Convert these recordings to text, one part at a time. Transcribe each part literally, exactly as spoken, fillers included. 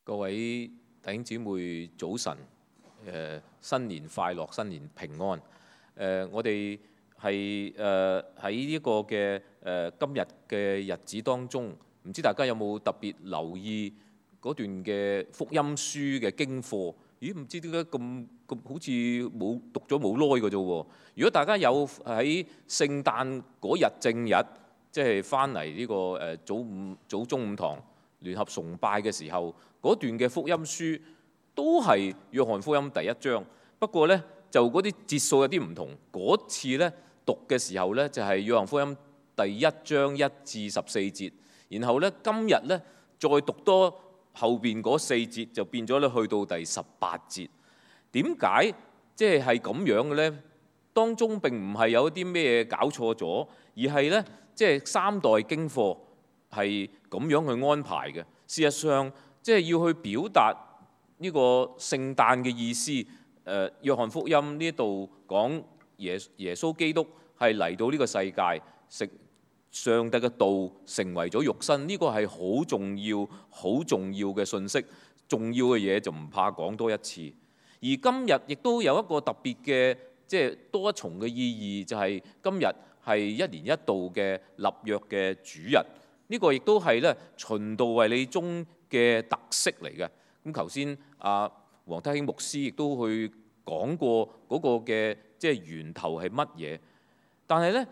各位弟兄姊妹早晨，誒新年快樂，新年平安。誒我哋係誒喺呢個嘅誒今日嘅日子當中，唔知大家有冇特別留意嗰段嘅福音書嘅經課？咦，唔知點解咁咁好似冇讀咗冇耐嘅啫喎。如果大家有喺聖誕嗰日正日，即係翻嚟呢個誒早午早中午堂聯合崇拜嘅時候，嗰段嘅福音書都係約翰福音第一章，不過呢，就嗰啲節數有啲唔同。嗰次呢，讀嘅時候呢，就係約翰福音第一章一至十四節，然後呢，今日呢，再讀多後邊嗰四節，就變咗咧去到第十八節。點解即係係咁樣嘅呢？當中並唔係有啲咩搞錯咗，而係呢，即係三代經課係咁樣去安排嘅。事實上，即係要去表達呢個聖誕嘅意思。誒，約翰福音呢度講耶耶穌基督係嚟到呢個世界，食上帝嘅道成為咗肉身，呢個係好重要、好重要嘅信息。重要嘅嘢就唔怕講多一次。而今日亦都有一個特別嘅，即係多一重嘅意義，就係今日係一年一度嘅立約嘅主日。呢個亦都係咧循道衛理宗嘅特色嚟嘅。咁頭先阿黃德興牧師亦都去講過嗰個嘅即係源頭係乜嘢。但係咧，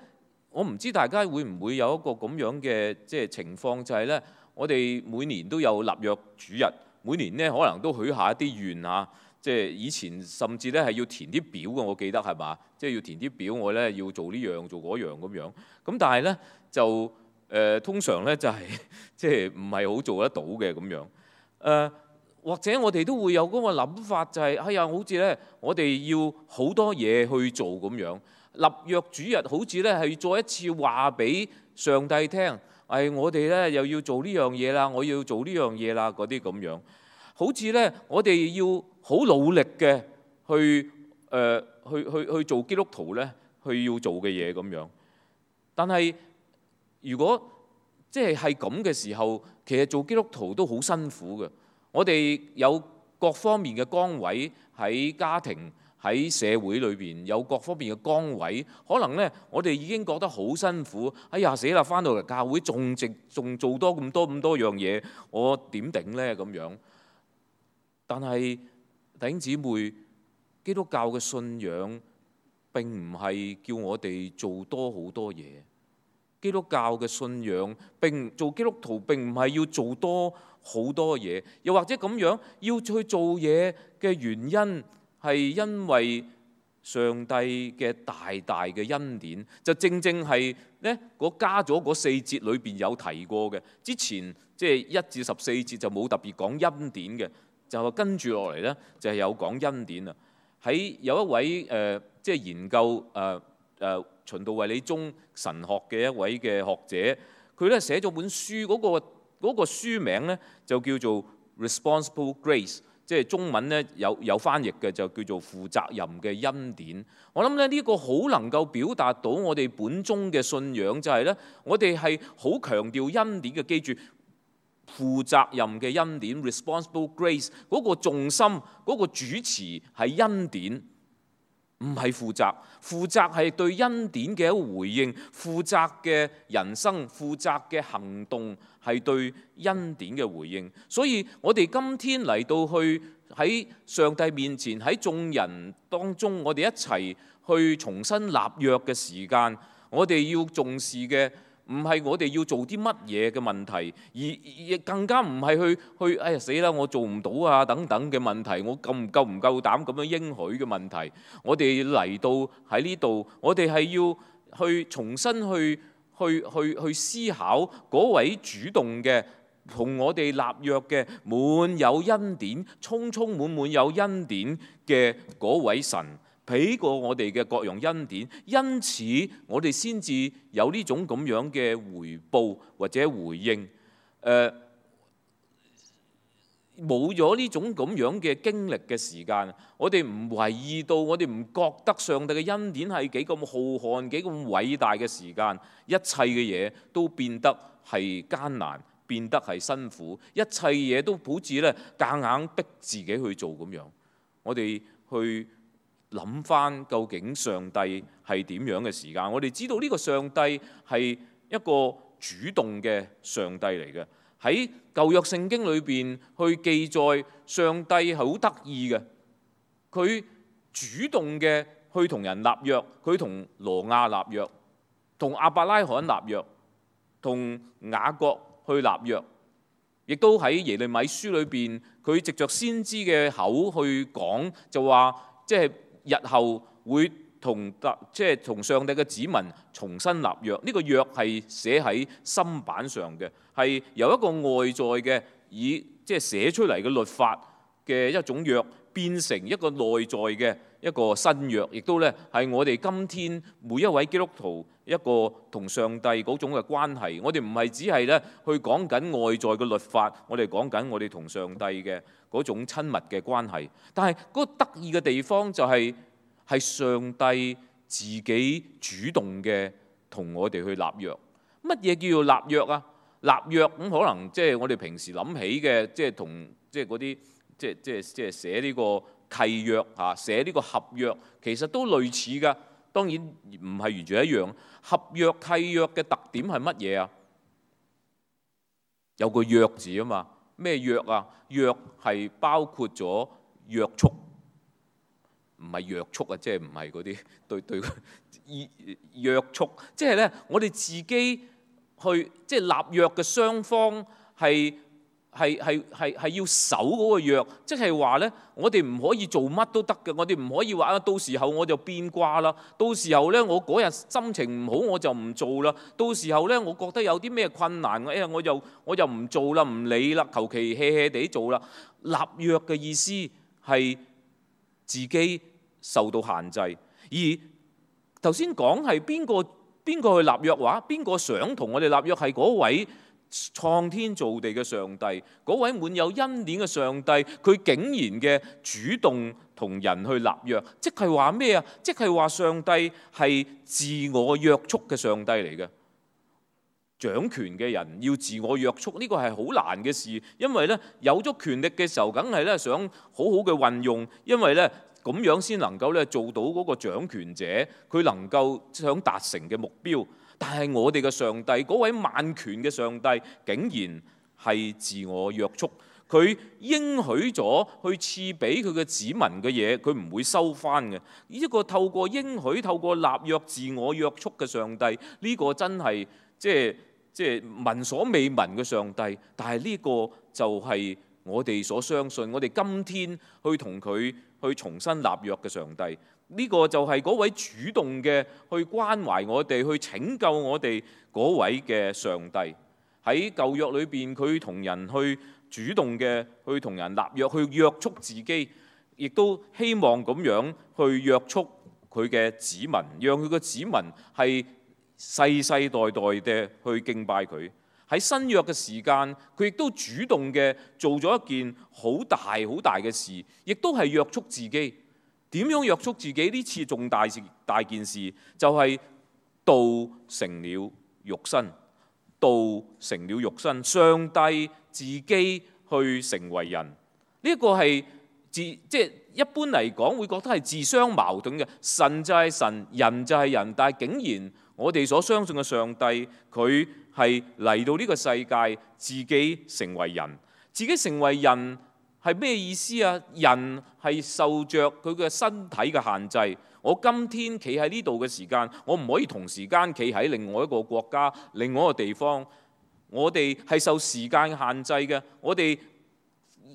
我唔知大家會唔會有一個咁樣嘅即係情況，就係咧，我哋每年都有立約主日，每年咧可能都許下一啲願啊。即係以前甚至咧係要填啲表嘅，我記得係嘛？即係要填啲表，我咧要做呢樣做嗰樣咁樣。咁但係咧就誒、呃、通常咧就係即係唔係好做得到嘅咁樣。誒、呃、或者我哋都會有嗰個諗法，就係、是、哎呀，好似咧我哋要好多嘢去做咁樣。立約主日好似咧係再一次話俾上帝聽，誒、哎、我哋咧又要做呢樣嘢啦，我要做呢樣嘢啦，嗰啲咁樣。好似咧我哋要好努力嘅去誒、呃、去去去做基督徒咧，去要做嘅嘢咁樣。但係如果即係係咁嘅時候，其實做基督徒都好辛苦嘅。我哋有各方面嘅崗位，喺家庭、喺社會裏邊有各方面嘅崗位，可能咧我哋已經覺得好辛苦。哎呀死啦！返到嚟教會仲直仲做多咁多咁多樣嘢，我點頂咧咁樣？但係弟兄姊妹，基督教嘅信仰並唔係叫我哋做多好多嘢。基督教嘅信仰並做基督徒並唔係要做多好多嘢，又或者咁樣要去做嘢嘅原因係因為上帝嘅大大嘅恩典，就正正係咧嗰加咗嗰四節裏邊有提過嘅。之前即係一至十四節就冇特別講恩典嘅。就跟住落嚟呢，就係有講恩典啊！喺有一位誒、呃，即係研究誒誒、呃呃、循道衛理宗神學嘅一位嘅學者，佢咧寫咗本書，嗰、嗰個嗰個書名呢，就叫做 Responsible Grace， 即係中文呢有有翻譯嘅，就叫做負責任嘅恩典。我諗咧呢、呢個好能夠表達到我哋本宗嘅信仰，就係呢：我哋係好強調恩典嘅，記住。負責任嘅恩典 ，responsible grace 嗰個重心、嗰個主詞係恩典，唔係負責。負責係對恩典嘅一個回應，負責嘅人生、負責嘅行動係對恩典嘅回應。所以我哋今天嚟到去喺上帝面前，喺眾人當中，我哋一齊去重新立約嘅時間，我哋要重視嘅。唔係我哋要做啲乜嘢嘅問題，而亦更加唔係去去哎呀死啦！我做唔到啊等等嘅問題，我夠唔夠唔夠膽咁樣應許嘅問題。我哋嚟到喺呢度，我哋係要去重新去去去去思考嗰位主動嘅同我哋立約嘅滿有恩典、充充滿滿有恩典嘅嗰位神。俾過我哋嘅各樣恩典，因此我哋先至有呢種咁樣嘅回報或者回應。誒，冇咗呢種咁樣嘅經歷嘅時間，我哋唔為意到，我哋唔覺得上帝嘅恩典係幾咁浩瀚、幾咁偉大嘅時間，一切嘅嘢都變得係艱難，變得係辛苦，一切嘢都好似咧夾硬逼自己去做咁樣。我哋去諗翻究竟上帝係點樣嘅時間，我哋知道呢個上帝係一個主動嘅上帝嚟嘅。喺舊約聖經裏邊去記載上帝係好得意嘅，佢主動嘅去同人立約，佢同挪亞立約，同亞伯拉罕立約，同雅各去立約，亦都喺耶利米書裏邊，佢藉着先知嘅口去講，就話即係日後會同即係同上帝嘅子民重新立約。呢個約係寫喺心板上嘅，係由一個外在嘅以即係寫出嚟嘅律法嘅一種約，變成一個內在嘅一個新約，亦都咧係我哋今天每一位基督徒一個同上帝嗰種嘅關係。我哋唔係只係咧去講緊外在嘅律法，我哋講緊我哋同上帝嘅嗰種親密嘅關係。但係嗰個得意嘅地方就係係上帝自己主動嘅同我哋去立約。乜嘢叫做立約啊？立約咁可能即係我哋平時諗起嘅，即係同即係嗰啲即係即係即係寫呢個契約嚇，寫呢個合約，其實都類似㗎。當然唔係完全一樣。合約契約嘅特點係乜嘢啊？有個約字啊嘛。咩約啊？約係包括咗約束，唔係約束啊，即係唔係嗰啲對對約束，即係咧我哋自己去即係立約嘅雙方係。係係係係要守嗰個約，即係話咧，我哋唔可以做乜都得嘅，我哋唔可以話啊，到時候我就變卦啦，到時候咧我嗰日心情唔好我就唔做啦，到時候咧我覺得有啲咩困難，哎呀我就我就唔做啦，唔理啦，求其 hea hea 地做啦。立約嘅意思係自己受到限制，而頭先講係邊個邊個去立約話，邊個想同我哋立約係嗰位創天造地嘅上帝，嗰位滿有恩典嘅上帝，佢竟然嘅主動同人去立約，即係話咩啊？即係話上帝係自我約束嘅上帝嚟嘅。掌權嘅人要自我約束，呢個係好難嘅事，因為咧有咗權力嘅時候，梗係咧想好好嘅運用，因為咧咁樣先能夠咧做到嗰個掌權者佢能夠想達成嘅目標。但係我哋嘅上帝，嗰位萬權嘅上帝，竟然係自我約束。佢應許咗去賜俾佢嘅子民嘅嘢，佢唔會收翻嘅。呢個透過應許、透過立約、自我約束嘅上帝，呢個真係即係即係聞所未聞嘅上帝。但係呢個就係我哋所相信，我哋今天去同佢去重新立約嘅上帝。呢個就係嗰位主動嘅去關懷我哋、去拯救我哋嗰位嘅上帝。喺舊約裏邊，佢同人去主動嘅去同人立約，去約束自己，亦都希望咁樣去約束佢嘅子民，讓佢嘅子民係世世代代嘅去敬拜佢。喺新約嘅時間，佢亦都主動嘅做咗一件好大好大嘅事，亦都係約束自己。點樣約束自己？呢次重大事大件事，就係道成了肉身，道成了肉身，上帝自己去成為人。呢、這、一個係自即係一般嚟講會覺得係自相矛盾嘅。神就係神，人就係人，但係竟然我哋所相信嘅上帝，佢係嚟到呢個世界，自己成為人，自己成為人。係咩意思啊？人係受着佢嘅身體嘅限制。我今天企喺呢度嘅時間，我唔可以同時間企喺另外一個國家、另外一個地方。我哋係受時間限制嘅。我哋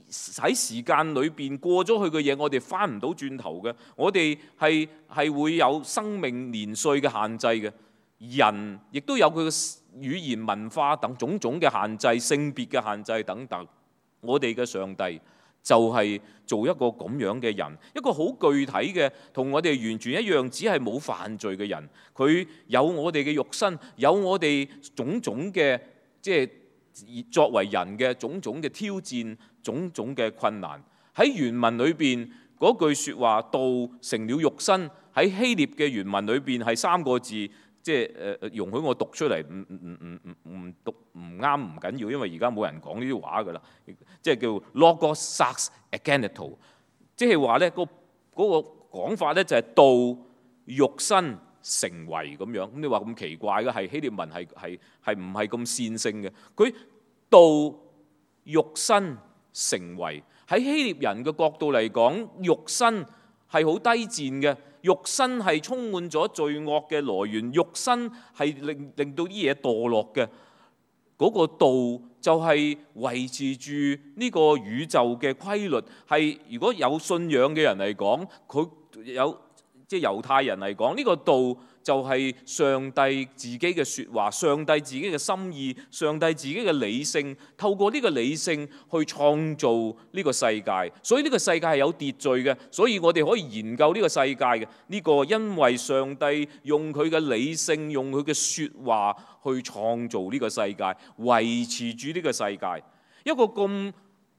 喺時間裏邊過咗去嘅嘢，我哋翻唔到轉頭嘅。我哋係係會有生命年歲嘅限制嘅。人亦都有佢嘅語言文化等種種嘅限制、性別嘅限制等等。我哋嘅上帝就係做一個咁樣嘅人，一個好具體嘅，同我哋完全一樣，只係冇犯罪嘅人。佢有我哋嘅肉身，有我哋種種嘅即係作為人嘅種種嘅挑戰、種種嘅困難。喺原文裏邊嗰句説話，道成了肉身，喺希臘嘅原文裏邊係三個字，即係誒容許我讀出嚟，唔唔唔唔唔讀唔啱唔緊要，因為而家冇人講呢啲話㗎啦。即係叫 Logos sarx egeneto， 即係話咧嗰嗰個講法咧就係道肉身成為咁樣。咁你話咁奇怪嘅係希臘文係係係唔係咁線性嘅？佢道肉身成為，喺希臘人嘅角度嚟講，肉身係好低賤嘅。肉身係充滿咗罪惡嘅來源，肉身係令令到啲嘢墮落嘅。嗰個道就係維持住呢個宇宙嘅規律。係如果有信仰嘅人嚟講，佢有即係猶太人嚟講，呢個道就係上帝自己嘅説話，上帝自己嘅心意，上帝自己嘅理性，透過呢個理性去創造呢個世界。所以呢個世界係有秩序嘅，所以我哋可以研究呢個世界嘅呢個，因為上帝用佢嘅理性，用佢嘅説話去創造呢個世界，維持住呢個世界。一個咁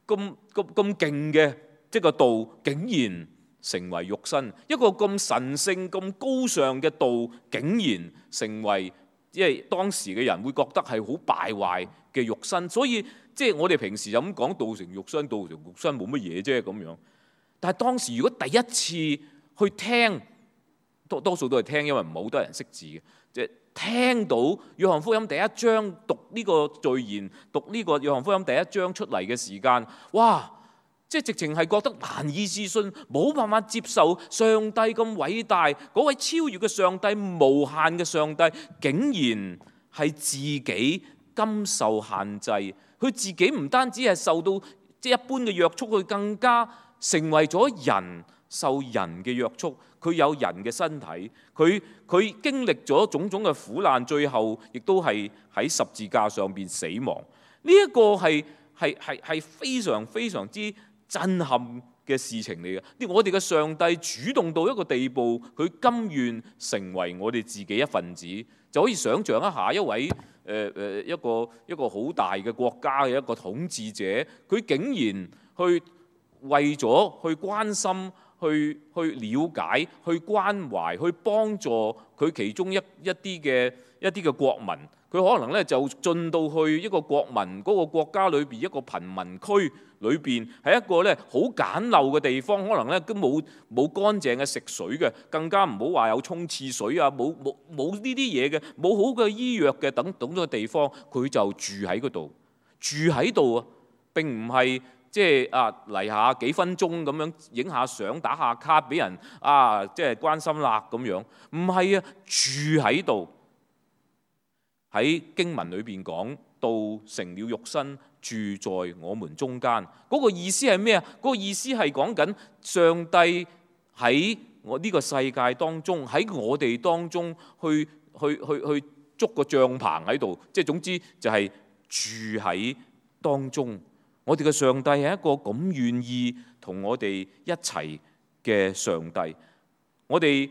咁咁咁勁嘅即係個道，竟然成為肉身，一個咁神聖、咁高尚嘅道，竟然成為，因為當時嘅人會覺得係好敗壞嘅肉身，所以即係我哋平時就咁講道成肉身，道成肉身冇乜嘢啫咁樣。但係當時如果第一次去聽，多多數都係聽，因為唔係好多人識字嘅，即係聽到約翰福音第一章讀呢個序言，讀呢個約翰福音第一章出嚟嘅時間，哇！即係直情係覺得難以置信，冇辦法接受上帝咁偉大，嗰位超越嘅上帝、無限嘅上帝，竟然係自己甘受限制。佢自己唔單止係受到即係一般嘅約束，佢更加成為咗人，受人嘅約束。佢有人嘅身體，佢佢經歷咗種種嘅苦難，最後亦都係喺十字架上邊死亡。呢一個係係係係非常非常之震撼嘅事情嚟嘅。我哋嘅上帝主動到一個地步，佢甘願成為我哋自己一份子，就可以想像一下一位誒誒、呃、一個一個好大嘅國家嘅一個統治者，佢竟然去為咗去關心、去去了解、去關懷、去幫助佢其中一一啲嘅一啲嘅國民。佢可能咧就進到去一個國民嗰個國家裏邊一個貧民區裏邊，係一個咧好簡陋嘅地方，可能咧都冇冇乾淨嘅食水嘅，更加唔好話有沖廁水啊，冇冇冇呢啲嘢嘅，冇好嘅醫藥嘅等等嘅地方，佢就住喺嗰度，住喺度啊！並唔係即係啊嚟下幾分鐘咁樣影下相、打下卡俾人啊，即係關心啦咁樣，唔係啊，住喺度。喺經文裏邊講，道成了肉身，住在我們中間。嗰個意思係咩啊？嗰個意思係講緊上帝喺我呢個世界當中，喺我哋當中去去去去捉個帳棚喺度，即係總之就係住喺當中。我哋嘅上帝係一個咁願意同我哋一齊嘅上帝。我哋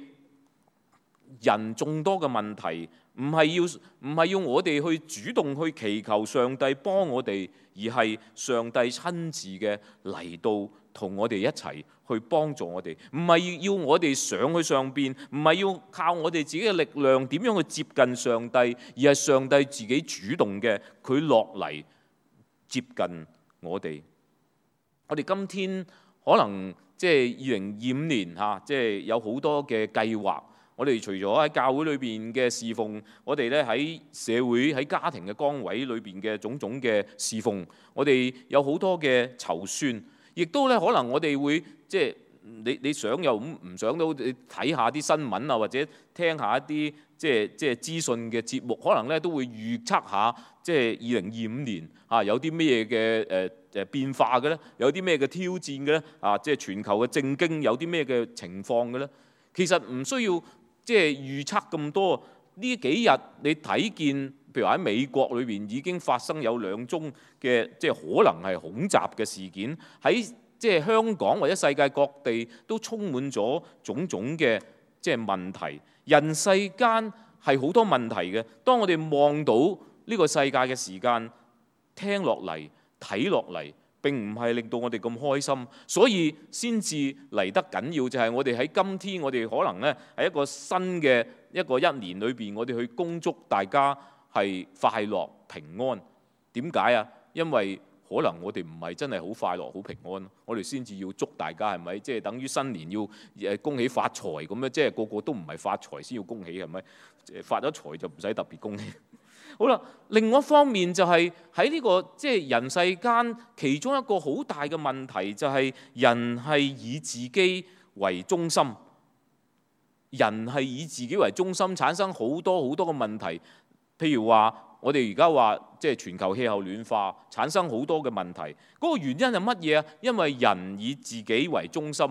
人眾多嘅問題，唔係要唔係要我哋去主動去祈求上帝幫我哋，而係上帝親自嘅嚟到同我哋一齊去幫助我哋。唔係要我哋上去上邊，唔係要靠我哋自己嘅力量點樣去接近上帝，而係上帝自己主動嘅，佢落嚟接近我哋。我哋今天可能即係二零二五年嚇，即係有好多嘅計劃。我哋除咗喺教會裏邊嘅侍奉，我哋咧喺社會喺家庭嘅崗位裏邊嘅種種嘅侍奉，我哋有好多嘅籌算，亦都咧可能我哋會即係你你想又唔唔想到，你睇下啲新聞啊，或者聽下一啲即係即係資訊嘅節目，可能咧都會預測下即係二零二五年啊有啲咩嘅誒誒變化嘅咧，有啲咩嘅挑戰嘅咧啊，即係全球嘅政經有啲咩嘅情況嘅咧，其實唔需要。即係預測咁多，呢幾日你睇見，譬如喺美國裏邊已經發生有兩宗嘅即係可能係恐襲嘅事件，喺即係香港或者世界各地都充滿咗種種嘅即係問題。人世間係好多問題嘅，當我哋望到呢個世界嘅時間，聽落嚟、睇落嚟，並唔係令到我哋咁開心，所以先至嚟得緊要就係我哋喺今天，我哋可能呢喺一個新嘅一個一年裏邊，我哋去恭祝大家係快樂平安。點解啊？因為可能我哋唔係真係好快樂好平安，我哋先至要祝大家係咪？即係等於新年要誒恭喜發財咁樣，即係個個都唔係發財先要恭喜係咪？發咗財就唔使特別恭喜。好啦，另外一方面就係喺呢個即係人世間，其中一個好大嘅問題就係人係以自己為中心，人係以自己為中心，產生好多好多嘅問題。譬如話，我哋而家話即係全球氣候暖化，產生好多嘅問題。嗰個原因係乜嘢啊？因為人以自己為中心，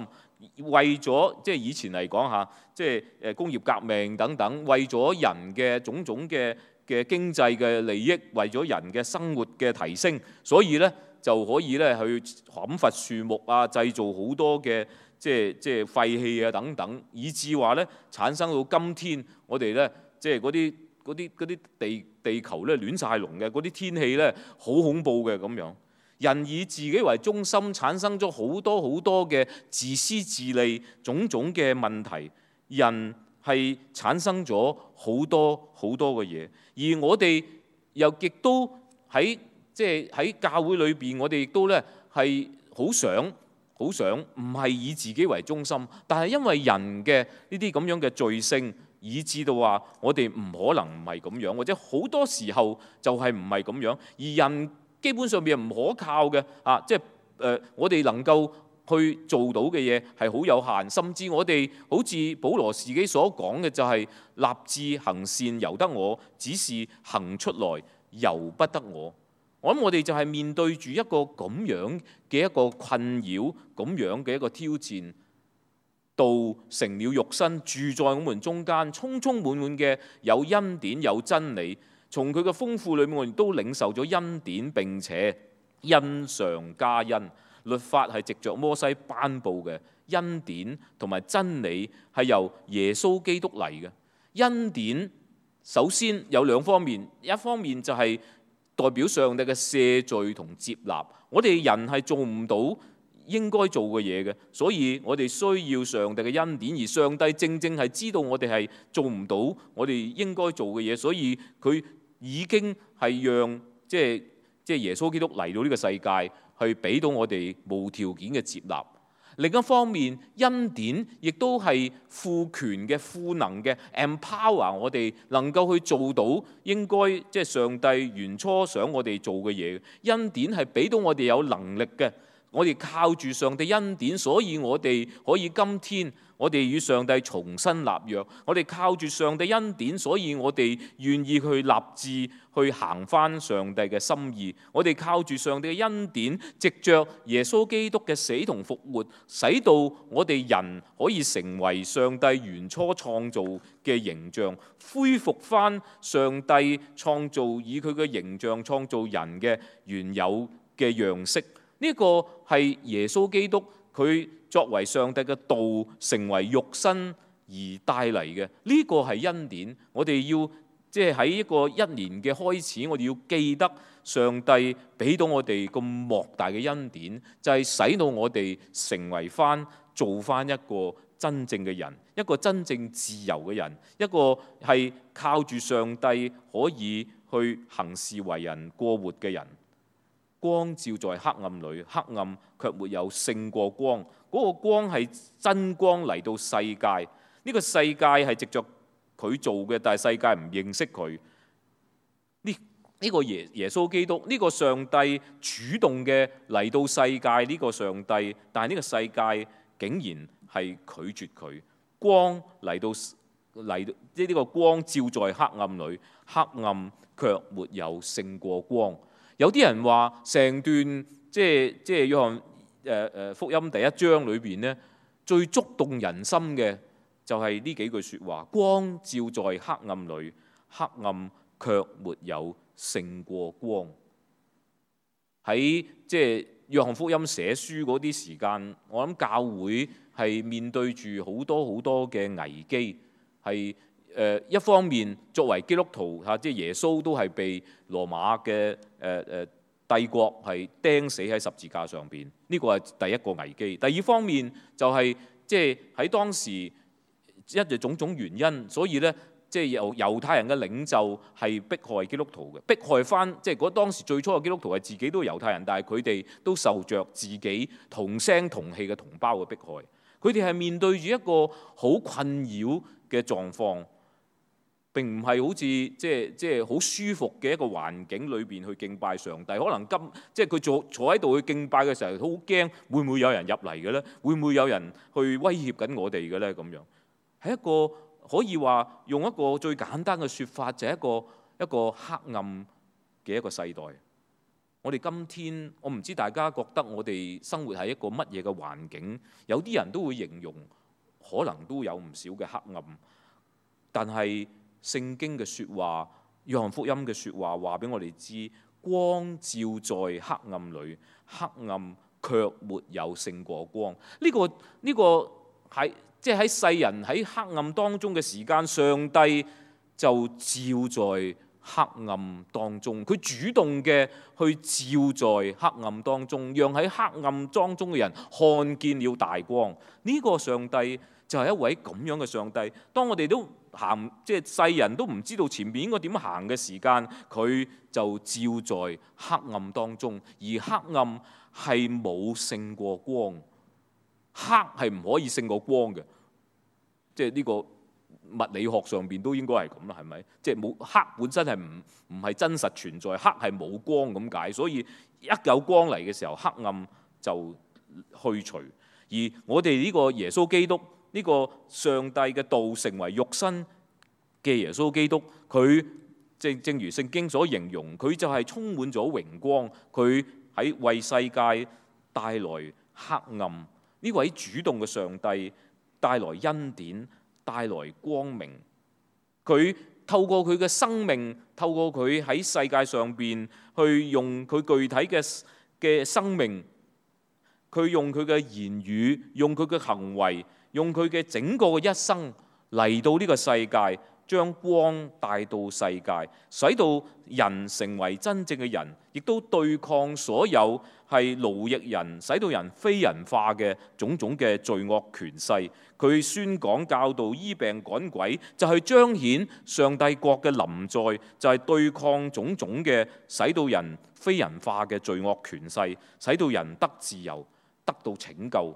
為咗即係以前嚟講下，即係誒工業革命等等，為咗人嘅種種嘅嘅經濟嘅利益，為咗人嘅生活嘅提升，所以咧就可以咧去砍伐樹木啊，製造好多嘅即係即係廢氣啊等等，以至話咧產生到今天我哋咧即係嗰啲嗰啲嗰啲地地球咧亂晒龍嘅嗰啲天氣咧好恐怖嘅咁樣。人以自己為中心，產生咗好多好多嘅自私自利種種嘅問題，人係產生咗好多好多嘅嘢，而我哋又亦都喺即係喺教會裏邊，我哋亦都咧係好想好想唔係以自己為中心，但係因為人嘅呢啲咁樣嘅罪性，以致到話我哋唔可能唔係咁樣，或者好多時候就係唔係咁樣，而人基本上面唔可靠嘅啊，即係誒、呃、我哋能夠去做到嘅嘢係好有限，甚至我哋好似保羅自己所講嘅就係立志行善由得我，只是行出來由不得我。我諗我哋就係面對住一個咁樣嘅一個困擾，咁樣嘅一個挑戰。道成了肉身，住在我們中間，充充滿滿嘅有恩典有真理。從佢嘅豐富裏面，我哋都領受咗恩典，並且恩上加恩。律法係藉着摩西頒布嘅，恩典同埋真理係由耶穌基督嚟嘅。恩典首先有兩方面，一方面就係代表上帝嘅赦罪同接納。我哋人係做唔到應該做嘅嘢嘅，所以我哋需要上帝嘅恩典，而上帝正正係知道我哋係做唔到我哋應該做嘅嘢，所以佢已經係讓即係即係耶穌基督嚟到呢個世界，去俾到我哋無條件嘅接納。另一方面，恩典亦都係賦權嘅、賦能嘅 empower 我哋能夠去做到應該即係上帝原初想我哋做嘅嘢。恩典係俾到我哋有能力嘅。我哋靠住上帝恩典，所以我哋可以今天我哋與上帝重新立約。我哋靠住上帝恩典，所以我哋願意去立志去行返上帝嘅心意。我哋靠住上帝嘅恩典，藉着耶穌基督嘅死同復活，使到我哋人可以成為上帝原初創造嘅形象，恢復返上帝創造以佢嘅形象創造人嘅原有嘅樣式。呢個係耶穌基督佢作為上帝嘅道成為肉身而帶嚟嘅，呢個係恩典。我哋要即係喺一個一年嘅開始，我哋要記得上帝俾到我哋咁莫大嘅恩典，就係使到我哋成為翻做翻一個真正嘅人，一個真正自由嘅人，一個係靠住上帝可以去行事為人過活嘅人。光照在黑暗裏，黑暗卻沒有勝過光。嗰個光係真光嚟到世界，呢個世界係藉着佢做嘅，但係世界唔認識佢。呢呢個耶耶穌基督，呢個上帝主動嘅嚟到世界，呢個上帝，但係呢個世界竟然係拒絕佢。光嚟到嚟到，即係呢個光照在黑暗裏，黑暗卻沒有勝過光。有啲人話成段即係即係約翰誒誒福音第一章裏邊咧，最觸動人心嘅就係呢幾句説話：光照在黑暗裏，黑暗卻沒有勝過光。喺即係約翰福音寫書嗰啲時間，我諗教會係面對住好多好多嘅危機，係。誒一方面作為基督徒嚇，即係耶穌都係被羅馬嘅誒誒帝國係釘死喺十字架上邊，呢個係第一個危機。第二方面就係即係喺當時因為種種原因，所以咧即係由猶太人嘅領袖係迫害基督徒嘅，迫害翻即係嗰當時最初嘅基督徒係自己都係猶太人，但係佢哋都受着自己同聲同氣嘅同胞嘅迫害。佢哋係面對住一個好困擾嘅狀況。並唔係好似即係即係好舒服嘅一個環境裏邊去敬拜上帝，可能今即係佢坐坐喺度去敬拜嘅時候，好驚會唔會有人入嚟嘅咧？會唔會有人去威脅緊我哋嘅咧？咁樣係一個可以話用一個最簡單嘅説法，就係一個一個黑暗嘅一個世代。我哋今天我唔知大家覺得我哋生活喺一個乜嘢嘅環境？有啲人都會形容可能都有唔少嘅黑暗，但係聖經嘅説話，約翰福音嘅説話話俾我哋知，光照在黑暗裏，黑暗卻沒有勝過光。呢個呢個喺即係喺世人喺黑暗當中嘅時間，上帝就照在黑暗當中。佢主動嘅去照在黑暗當中，讓喺黑暗當中嘅人看見了大光。呢個上帝就係一位咁樣嘅上帝。當我哋都行即係世人都唔知道前面應該點行嘅時間，佢就照在黑暗當中，而黑暗係冇勝過光，黑係唔可以勝過光嘅，即係呢個物理學上邊都應該係咁啦，係咪？即係冇黑本身係唔唔係真實存在，黑係冇光咁解，所以一有光嚟嘅時候，黑暗就去除。而我哋呢個耶穌基督，呢個上帝嘅道成為肉身嘅耶穌基督，佢正正如聖經所形容，佢就係充滿咗榮光，佢喺為世界帶來黑暗。呢位主動嘅上帝帶來恩典，帶來光明。佢透過佢嘅生命，透過佢喺世界上邊去用佢具體嘅嘅生命，佢用佢嘅言語，用佢嘅行為，用佢嘅整個嘅一生嚟到呢個世界，將光帶到世界，使到人成為真正嘅人，亦都對抗所有係奴役人、使到人非人化嘅種種嘅罪惡權勢。佢宣講教導、醫病趕鬼，就係彰顯上帝國嘅臨在，就係對抗種種嘅使到人非人化嘅罪惡權勢，使到人得自由，得到拯救。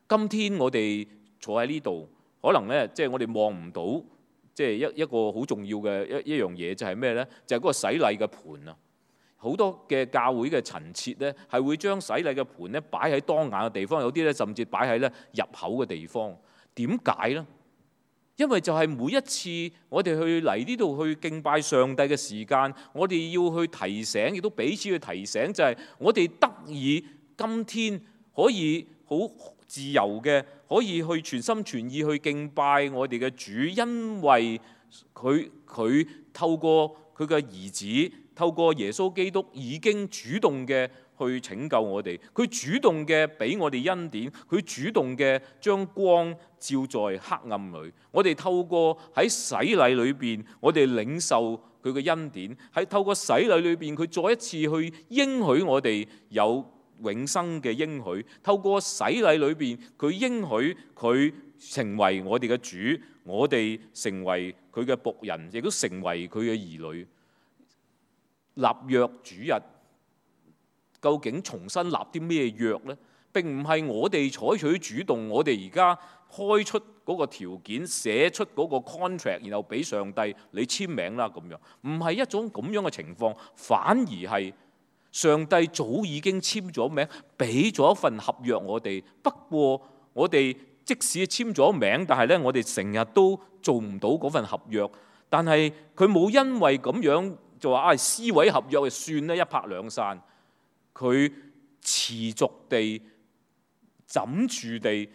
今天我哋坐喺呢度，可能咧即係我哋望唔到，即係一一個好重要嘅一一樣嘢，就係咩咧？就係嗰個洗禮嘅盤啊！好多嘅教會嘅陳設咧，係會將洗禮嘅盤咧擺喺當眼嘅地方，有啲咧甚至擺喺咧入口嘅地方。點解咧？因為就係每一次我哋去嚟呢度去敬拜上帝嘅時間，我哋要去提醒，亦都彼此去提醒，就係我哋得以今天可以好自由嘅，可以去全心全意去敬拜我哋嘅主，因為佢佢透過佢嘅兒子，透過耶穌基督已經主動嘅去拯救我哋，佢主動嘅俾我哋恩典，佢主動嘅將光照在黑暗裏。我哋透過喺洗禮裏邊，我哋領受佢嘅恩典，喺透過洗禮裏邊，佢再一次去應許我哋有永生嘅應許。透過洗禮裏邊，佢應許佢成為我哋嘅主，我哋成為佢嘅僕人，亦都成為佢嘅兒女。立約主日，究竟重新立啲咩約呢？並唔係我哋採取主動，我哋而家開出嗰個條件，寫出嗰個 contract， 然後俾上帝你簽名啦咁樣，唔係一種咁樣嘅情況，反而係上帝早已經簽咗名，俾咗一份合約我哋。不過我哋即使簽咗名，但係咧我哋成日都做唔到嗰份合約。但係佢冇因為咁樣就話啊，撕毀合約就算咧，一拍兩散。佢持續地、枕住地、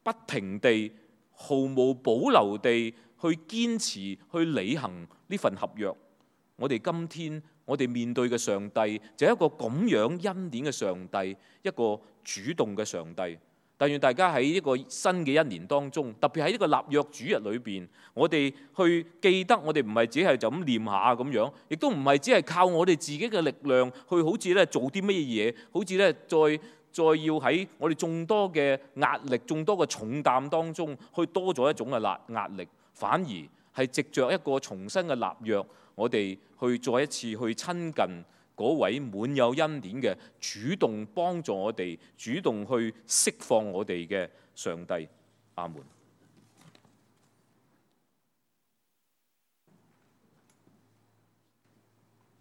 不停地、毫無保留地去堅持、去履行呢份合約。我哋今天我哋面對嘅上帝就係一個咁樣恩典嘅上帝，一個主動嘅上帝。但願大家喺呢個新嘅一年當中，特別喺呢個立約主日裏邊，我哋去記得我哋唔係只係就咁念下咁樣，亦都唔係只係靠我哋自己嘅力量去好似咧做啲乜嘢嘢，好似咧再再要喺我哋眾多嘅壓力、眾多嘅重擔當中，去多咗一種嘅壓壓力，反而係藉着一個重新嘅立約，我哋去再一次去親近嗰位滿有恩典嘅，主動幫助我哋、主動去釋放我哋嘅上帝。阿門。